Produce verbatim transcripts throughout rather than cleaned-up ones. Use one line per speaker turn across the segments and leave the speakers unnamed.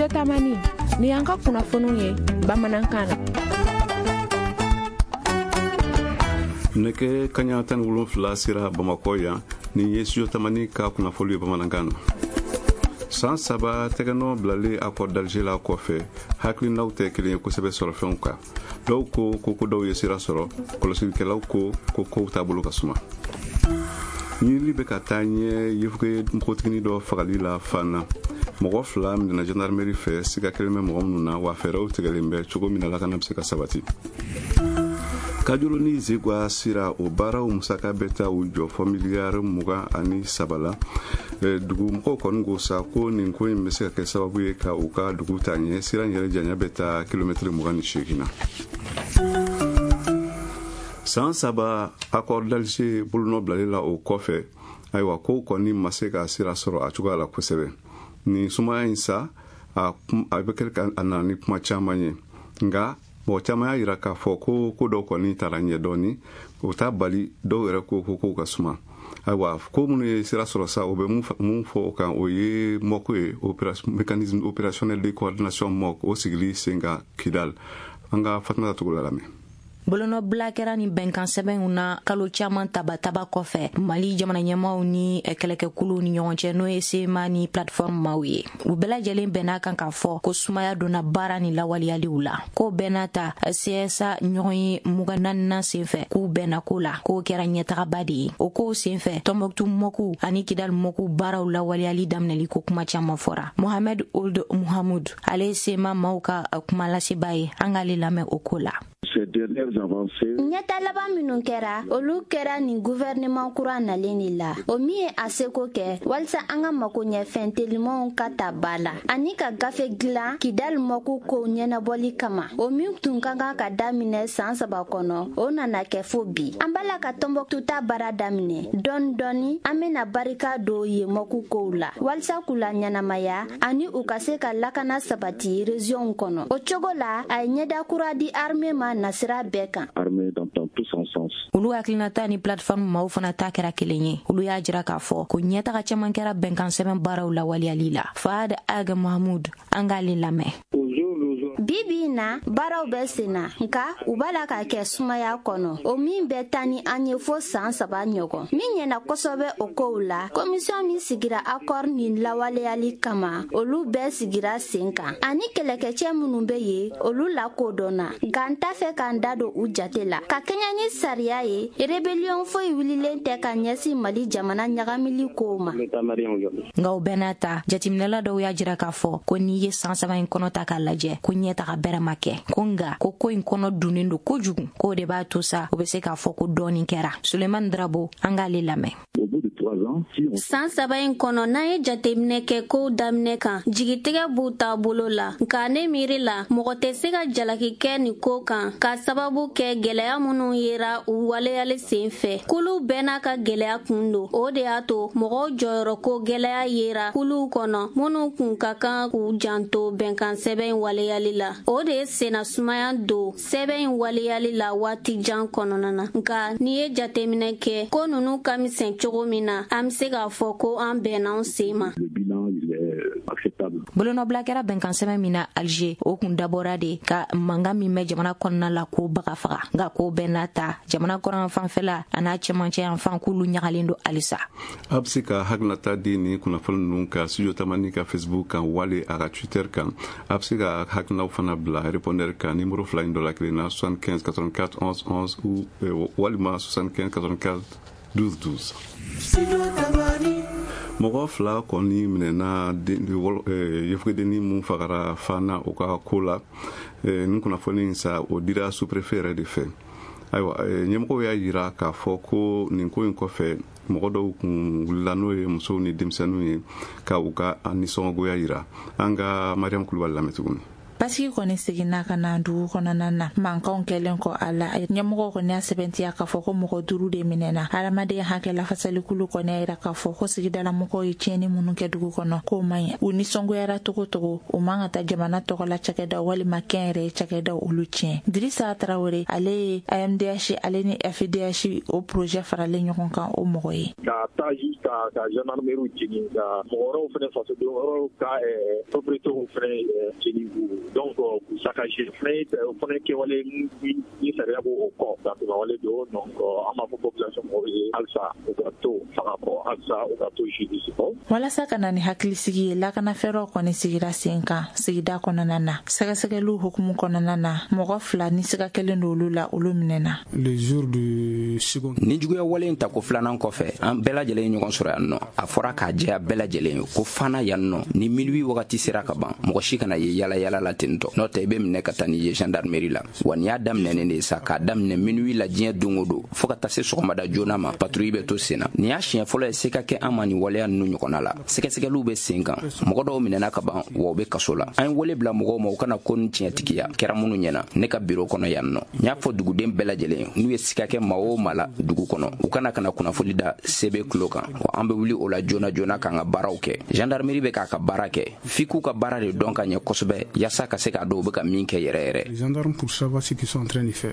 Studio Tamani, ni y'an ka kunnafoniw ye bamanankan na.
Nɛgɛ kaɲa tan ni wolonfila sera Bamakɔ yan. Nin ye Studio Tamani ka kunnafoni ye bamanankan na. San saba tɛgɛnɔ bilalen Accord d'Alger la kɔfɛ, hakilinaw tɛ kelen ye kosɛbɛ sɔrɔfɛnw kan. Dɔw ko ko ko dɔw ye sira sɔrɔ, kɔlɔsilikɛlaw ko ko kow taabolo ka suma. Ɲinili bɛ ka taa ɲɛ yefuge npogotiginin dɔ fagali la Fana. Mɔgɔ fila minɛna gendarmerie fɛ, siga kelen bɛ mɔgɔ minnu na, wa fɛɛrɛw tigɛlen bɛ cogo min na lakana bɛ se ka sabati. Kajolo ni Zegwa sira, o baaraw musaka bɛ taa u jɔ fɔ miliyari mugan ani saba la. Dugu mɔgɔw kɔni ko sa ko nin ko in bɛ se ka kɛ sababu ye ka u ka dugu taa ɲɛ. Sira in yɛrɛ janya bɛ taa kilomɛtiri mugan ni seegin na. San saba Accord d'Alger bolonɔ bilalen la o kɔfɛ, ayiwa, kow kɔni ma se ka sira sɔrɔ a cogoya la kosɛbɛ. Nin sumaya in sa, a bɛ kɛ a nana ni kuma caman ye, nka mɔgɔ caman y'a yira k'a fɔ ko ko dɔw kɔni taara ɲɛ dɔɔni. O t'a bali dɔw yɛrɛ ko ko kow ka suma. Ayiwa, ko minnu ye sira sɔrɔ sa, o bɛ mun fɔ o kan, o ye M O C ye, mécanisme opérationnel de coordination M O C, o sigili sen kan Kidal. An ka Fatumata Togola lamɛn.
Bolonɔbila kɛra ni bɛnkan sɛbɛnw na kalo caman tabataba kɔfɛ Mali jamana ɲɛmaw ni kɛlɛkɛkuluw ni ɲɔgɔn cɛ, n'o ye C M A ni plateforme maw ye. U bɛɛ lajɛlen bɛn'a kan k'a fɔ ko sumaya donna baara ni lawaleyaliw la. Ko bɛɛ n'a ta, C S A ɲɔgɔn ye mugan naaninan senfɛ, k'u bɛnna ko la k'o kɛra ɲɛtagaba de ye. O kow senfɛ, Tɔnbɔkutu M O C ani Kidal M O C baaraw lawaleyali daminɛli ko kuma caman fɔra. Mohamed Ould Muhamud, ale ye C M A maw ka kuma laseba ye, an k'ale lamɛn o ko la.
Ɲɛta laban minnu kɛra, olu kɛra nin guvɛrɛnɛman kura nalen de la, o min ye a seko kɛ walisa an ka mako ɲɛfɛn telimanw ka ta ba la, ani ka gafe dilan Kidali M O C kow ɲɛnabɔli kama. O min tun ka kan ka daminɛ saan saba kɔnɔ, o nana kɛ fo bi. An b'a la ka Tɔnbɔkutu ta baara daminɛ dɔɔni dɔɔni. An bena barika don yen M O C kow la walisa k'u la ɲɛnamaya, ani u ka se ka lakana sabati régionw kɔnɔ. O cogo la, a ye ɲɛda kura di armée ma nasira bɛɛ kan.
Olu hakilinata ni plateforme maw fana ta kɛra kelen ye. Olu y'a jira k'a fɔ ko ɲɛtaga caman kɛra bɛnkan sɛbɛn baaraw lawaleyali la. Fahad Ag Mahamud, an k'ale lamɛn.
Bi bi in na, baaraw bɛ sen na, nka u b'a la ka kɛ sumaya kɔnɔ, o min bɛ taa ni an ye fo saan saba ɲɔgɔn. Min ɲɛna kosɛbɛ o kow la, commission min sigira accord nin lawaleyali kama, olu bɛɛ sigira sen kan, ani kɛlɛkɛcɛ minnu bɛ yen, olu lakodɔnna, nka n t'a fɛ k'an da don u jate la. Ka kɛɲɛ ni sariya ye, rébellion foyi wulilen tɛ ka ɲɛsin Mali jamana ɲagamili kow ma.
Nka o bɛɛ n'a ta, jateminɛla dɔw y'a jira k'a fɔ ko n'i ye san saba in kɔnɔ ta k'a lajɛ, ko ɲɛtaga bɛrɛ ma kɛ, ko nga ko ko in kɔnɔ dunnen don kojugu, k'o de b'a to sa o bɛ se k'a fɔ ko dɔɔni kɛra. Sulemani Drabo, an k'ale lamɛn.
San saba in kɔnɔ, n'an ye jateminɛ kɛ kow daminɛ kan, jigitigɛ b'u taabolo la. Nka ne miiri la, mɔgɔ tɛ se ka jalaki kɛ nin ko kan, ka sababu kɛ gwɛlɛya minnu yera u waleyali sen fɛ. Kulu bɛɛ n'a ka gwɛlɛya kun don. O de y'a to mɔgɔw jɔyɔrɔ ko gwɛlɛya yera kuluw kɔnɔ minnu kun ka kan k'u janto bɛnkan sɛbɛn in waleyali la. O de ye senna sumaya don sɛbɛn in waleyali la waati jan kɔnɔna na. Nka n'i ye jateminɛ kɛ ko nunu ka misɛn cogo min na, an be se k'a fɔ ko an bɛnna an sen ma.
Bolonɔbila kɛra bɛnkan sɛbɛn min na Alger, o kun dabɔra de ka mankan min bɛ jamana kɔnɔna la k'o baga faga. Nka k'o bɛɛ n'a ta, jamana kɔrɔn fanfɛla a n'a cɛmancɛ yan fan, k'olu ɲagalen don halisa.
A bɛ se ka hakilinata di ni kunnafoni ninnu ka Studio Tamani ka Facebook kan wali a ka Twitter kan. A bɛ se ka hakilinaw fana bila répondeur kan numéro fila in dɔ la kelen na: soixante-quinze quatre-vingt-quatre onze onze ou walima soixante-quinze quatre-vingt-quatre douze douze. Mɔgɔ fila kɔni minɛna yefugedenni mun fagara Fana, o ka ko la. Nin kunnafoni in sa, o dira sous-préfet yɛrɛ de fɛ. Ayiwa, ɲɛmɔgɔw y'a yira k'a fɔ ko nin ko in kɔfɛ, mɔgɔ dɔw kun wulila, n'o ye musow ni denmisɛnninw ye, ka u ka nisɔngoya yira. An ka Mariam Kulubali lamɛn tuguni.
Basigi kɔni seginna ka na dugu kɔnɔna na, mankanw kɛlen kɔ a la. Ɲɛmɔgɔw kɔni y'a sɛbɛntiya k'a fɔ ko mɔgɔ duuru de minɛna. Hadamaden hakɛ lafasalikulu kɔni y'a yira k'a fɔ ko sigidalamɔgɔw ye tiɲɛni minnu kɛ dugu kɔnɔ, k'o man ɲi. U nisɔngoyara togo togo, u man ka taa jamana tɔgɔla cakɛdaw walima kɛnyɛrɛye cakɛdaw olu tiɲɛ. Dirisa Tarawele, ale ye A M D H ale ni F D H o projet faralen ɲɔgɔn kan o mɔgɔ ye.
Ka taa jusqu'à ka gendarmerie jeni, ka mɔgɔ wɛrɛw fɛnɛ, fasoden wɛrɛw ka propriétés fɛnɛ jeni k'u donc k'u saccager fɛnɛ, o fɛnɛ kɛwale ni sariya b'o kɔ dantigɛwale don. Donc an b'a fɔ population mɔgɔw ye halisa u ka to fanga kɔ, halisa u ka to justice kɔ.
Walasa ka na ni hakilisigi ye, lakanafɛɛrɛw kɔni sigira sen kan sigida kɔnɔna na. Sɛgɛsɛgɛliw hukumu kɔnɔna na, mɔgɔ fila ni siga kelen don olu la, olu minɛna.
Ni juguya wale in tako filanan kɔfɛ, an bɛɛ lajɛlen ye ɲɔgɔn sɔrɔ yan nɔ. A fɔra k'a jɛya bɛɛ lajɛlen ye ko fana yan nɔ, ni minuit wagati sera ka ban, mɔgɔ si kana ye yala yala la ten tɔ, n'o tɛ i bɛ minɛ ka taa n'i ye gendarmerie la. Wa nin y'a daminɛnen de ye sa, k'a daminɛ minuit la diɲɛ don o don fo ka taa se sɔgɔmada joona ma, patrouille bɛ to sen na. Nin y'a siɲɛ fɔlɔ ye se ka kɛ an ma nin waleya ninnu ɲɔgɔnna la. Sɛgɛsɛgɛliw bɛ sen kan, mɔgɔ dɔw minɛna ka ban, wa u bɛ kaso la. An ye wele bila mɔgɔw ma u kana ko ni tiɲɛtigiya kɛra minnu ɲɛna ne ka biro kɔnɔ yan nɔ. N y'a fɔ duguden bɛɛ lajɛlen, n'u ye siga kɛ maa o maa la dugu kɔnɔ, u kana kana kunnafoni da C B tulo kan, wa an bɛ wuli o la joona joona k'an ka baaraw kɛ. Gendarmerie bɛ k'a ka baara kɛ, f'i k'u ka baara de dɔn ka ɲɛ kosɛbɛ yaasa ka se k'a dɔn u bɛ ka min kɛ yɛrɛ yɛrɛ.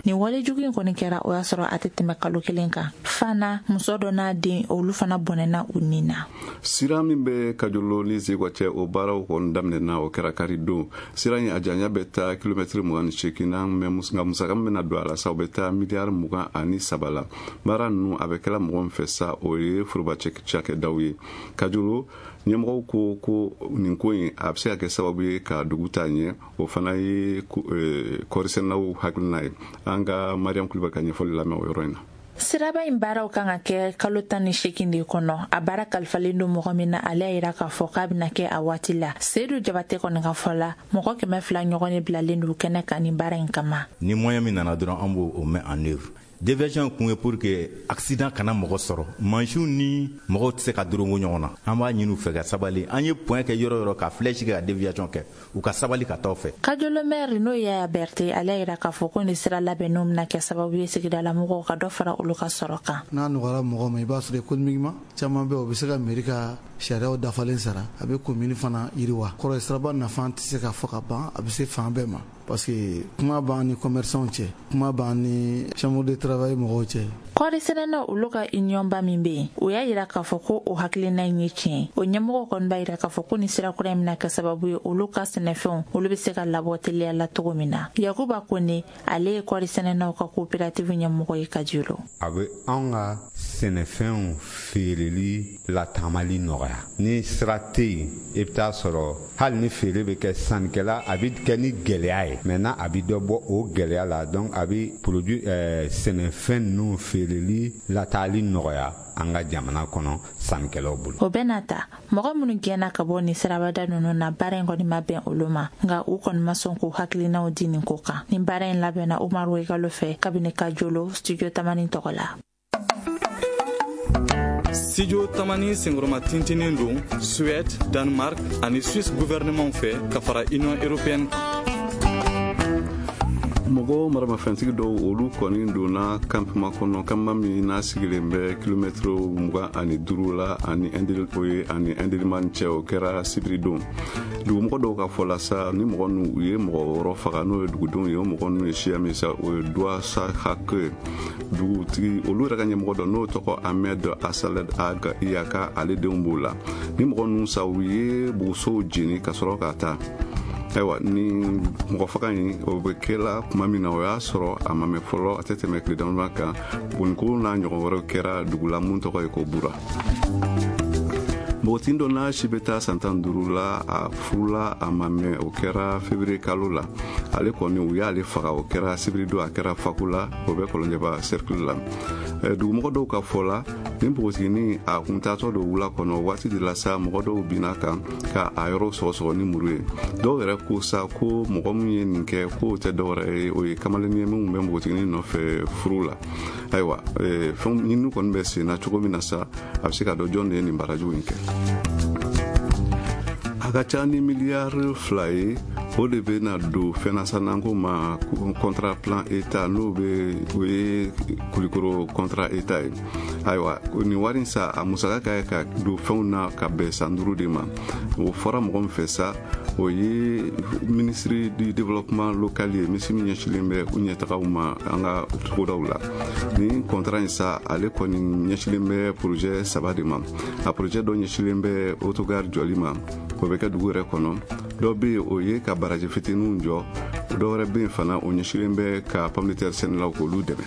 Nin walejugu in kɔni kɛra, o y'a sɔrɔ a tɛ tɛmɛ kalo kelen kan. Fana muso dɔ n'a den, olu fana bɔnɛna u nin na.
Sira min bɛ Kajolo ni Zegwa cɛ, o baaraw kɔni daminɛna, o kɛra kari don. Sira in a janya bɛ taa kilomɛtiri mugan ni seegin na, nka musaka min bɛna don a la sa, o bɛ taa miliyari mugan ani saba la. Baara ninnu a bɛ kɛla mɔgɔ min fɛ sa, o ye foroba cakɛdaw ye. Kajolo ɲɛmɔgɔw ko ko nin ko in a bɛ se ka kɛ sababu ye ka dugu taa ɲɛ, o fana ye kɔɔrisɛnɛnaw hakilina ye. An ka Mariam Kulibali ka ɲɛfɔli lamɛn o yɔrɔ in na.
Siraba in baaraw kan ka kɛ kalo tan ni seegin de kɔnɔ. A baara kalifalen don mɔgɔ min na, ale y'a yira k'a fɔ k'a bɛna kɛ a waati la. Seyidu Jabate kɔni ka fɔ la, mɔgɔ kɛmɛ fila ɲɔgɔn de bilalen don kɛnɛ kan nin baara in kama.
Ni moyen min nana dɔrɔn, an b'o mɛn en œuvre. Déviation kun ye pour que accident kana mɔgɔ sɔrɔ, mansinw ni mɔgɔw tɛ se ka dorongo ɲɔgɔn na. An b'a ɲini u fɛ ka sabali. An ye point kɛ yɔrɔ yɔrɔ ka flèche kɛ ka déviation kɛ, u ka sabali ka taa fɛ.
Kajolo maire n'o ye Yaya Berete, ale y'a yira k'a fɔ ko nin sira labɛnnenw bɛna kɛ sababu ye sigidalamɔgɔw ka dɔ fara olu ka sɔrɔ kan.
N'a nɔgɔyara mɔgɔ ma, i b'a sɔrɔ économiquement caman bɛ, o bɛ se ka mairie ka sariyaw dafalen sara, a bɛ commune fana yiriwa. Kɔrɔ ye siraba nafa tɛ se ka fɔ ka ban, a bɛ se fan bɛɛ ma. Parce que kuma b'an ni commerçants cɛ, kuma b'an ni chambre de travail mɔgɔw cɛ.
Kɔɔri sɛnɛnaw olu ka union ba min bɛ yen, o y'a yira k'a fɔ ko o hakilina in ye tiɲɛ. O ɲɛmɔgɔw kɔni b'a yira k'a fɔ ko nin sira kura in bɛna kɛ sababu ye olu ka sɛnɛfɛnw olu bɛ se ka labɔ teliya la cogo min na. Yakuba Kone, ale ye kɔɔri sɛnɛnaw ka coopérative ɲɛmɔgɔ ye Kajolo.
A bɛ anw ka sɛnɛfɛnw feereli lataamali nɔgɔya. Ni sira tɛ yen, i bɛ taa sɔrɔ hali ni feere bɛ kɛ sannikɛla, a bɛ kɛ ni gɛlɛya ye. Maintenant a bɛ dɔ bɔ o gɛlɛya la, donc a bɛ produit ɛɛ sɛnɛfɛn ninnu feereli lataali nɔgɔya an ka jamana kɔnɔ sannikɛlaw bolo.
O bɛɛ n'a ta, mɔgɔ minnu gɛnna ka bɔ nin sirabada ninnu na, baara in kɔni ma bɛn olu ma, nka u kɔni ma sɔn k'u hakilinaw di nin ko kan. Nin baara in labɛnna Umaru Wegalo fɛ kabini Kajolo, Studio Tamani tɔgɔ la.
Studio Tamani senkɔrɔma tintinen don Suède, Danemark ani Suisse gouvernement fɛ ka fara Union européenne kan.
Mɔgɔ maramafɛntigi dɔw olu kɔni donna campement kɔnɔ, campement min n'a sigilen bɛ kilomɛtiri mugan ani duuru la ani o ye ani Indelimane cɛ, o kɛra sibiri don. Dugumɔgɔ dɔw ka fɔ la sa, ni mɔgɔ ninnu u ye mɔgɔ wɔɔrɔ faga, n'o ye dugudenw ye, o mɔgɔ ninnu ye siya min sa, o ye Douasahake ye. Dugutigi olu yɛrɛ ka ɲɛmɔgɔ dɔ n'o tɔgɔ Ahmed Asaled Ag Iyaka, ale denw b'o la. Ni mɔgɔ ninnu sa, u ye bugusow jeni ka sɔrɔ ka taa. Ayiwa, ni mɔgɔ faga in o bɛ kɛla tuma min na, o y'a sɔrɔ a ma mɛn fɔlɔ, a tɛ tɛmɛ tile damadama kan. Boniko n'a ɲɔgɔn wɛrɛw kɛra dugu la mun tɔgɔ ye ko Bura. Npogotiginin dɔ n'a si bɛ taa san tan duuru la, a furula a ma mɛn, o kɛra février kalo la. Ale kɔni u y'ale faga, o kɛra sibiri don, a kɛra Faku la, o bɛ Kɔlɔnjɛba cercle la. Dugumɔgɔ dɔw ka fɔ la, ni npogotiginin a kun taatɔ don wula kɔnɔ, waati de la sa mɔgɔ dɔw binna kan ka a yɔrɔ sɔgɔsɔgɔ ni muru ye. Dɔw yɛrɛ ko sa ko mɔgɔ min ye nin kɛ k'o tɛ dɔwɛrɛ ye, o ye kamalennin ye min bɛ npogotiginin nɔfɛ furu la. Ayiwa, fɛn ɲinini kɔni bɛ sen na cogo min na sa, a bɛ se ka dɔn jɔn de ye nin baarajugu in kɛ. A ka ca ni miliyari fila ye O de bɛ na don fɛnnasananko ma contrat plan état, n'o bɛ o ye Kulikoro contrat état ye. Ayiwa, nin wari in sa, a musaka ka ka don fɛnw na ka bɛn san duuru de ma. O fɔra mɔgɔ min fɛ sa, o ye ministre du développement local ye, ministre min ɲɛsilen bɛ u ɲɛtagaw ma an ka togodaw la. Nin contrat in sa, ale kɔni ɲɛsilen bɛ projet saba de ma. A projet dɔ ɲɛsilen bɛ autogare jɔli ma, o bɛ kɛ dugu yɛrɛ kɔnɔ. Dɔ bɛ yen, o ye ka baraji fitininw jɔ. Dɔ wɛrɛ bɛ yen fana, o ɲɛsilen bɛ ka pomme de terre sɛnɛlaw k'olu dɛmɛ.